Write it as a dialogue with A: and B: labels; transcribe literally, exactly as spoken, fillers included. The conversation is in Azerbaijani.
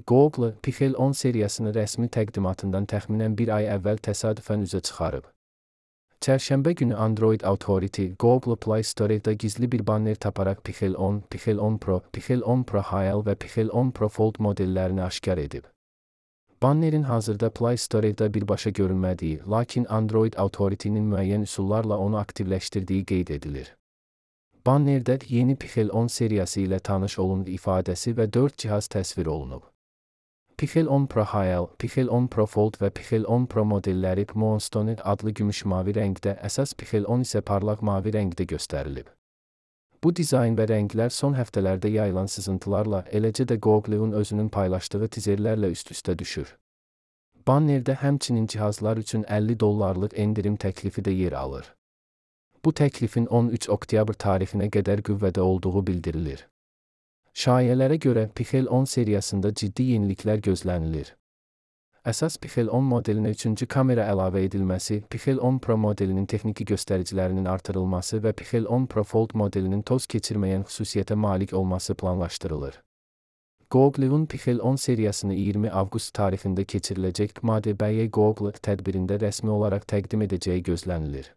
A: Google, Pixel on seriyasını rəsmi təqdimatından təxminən bir ay əvvəl təsadüfən üzə çıxarıb. Çərşənbə günü Android Authority, Google Play Store'da gizli bir banner taparaq Pixel on, Pixel on Pro, Pixel on Pro H L və Pixel on Pro Fold modellərini aşkar edib. Bannerin hazırda Play Store'da birbaşa görünmədiyi, lakin Android Authority'nin müəyyən üsullarla onu aktivləşdirdiyi qeyd edilir. Bannerdə yeni Pixel on seriyası ilə tanış olun ifadəsi və dörd cihaz təsvir olunub. Pixel on Pro H L, Pixel on Pro Fold və Pixel on Pro modelləri Moonstone adlı gümüş-mavi rəngdə, əsas Pixel on isə parlaq mavi rəngdə göstərilib. Bu dizayn və rənglər son həftələrdə yayılan sızıntılarla, eləcə də Google'un özünün paylaşdığı tizerlərlə üst-üstə düşür. Bannerdə həmçinin cihazlar üçün əlli dollarlıq endirim təklifi də yer alır. Bu təklifin on üç oktyabr tarixinə qədər qüvvədə olduğu bildirilir. Şayələrə görə Pixel on seriyasında ciddi yeniliklər gözlənilir. Əsas Pixel on modelinə üçüncü kamera əlavə edilməsi, Pixel on Pro modelinin texniki göstəricilərinin artırılması və Pixel on Pro Fold modelinin toz keçirməyən xüsusiyyətə malik olması planlaşdırılır. Google'un Pixel on seriyasını iyirmi avqust tarixində keçiriləcək M A D B Y Google tədbirində rəsmi olaraq təqdim edəcəyi gözlənilir.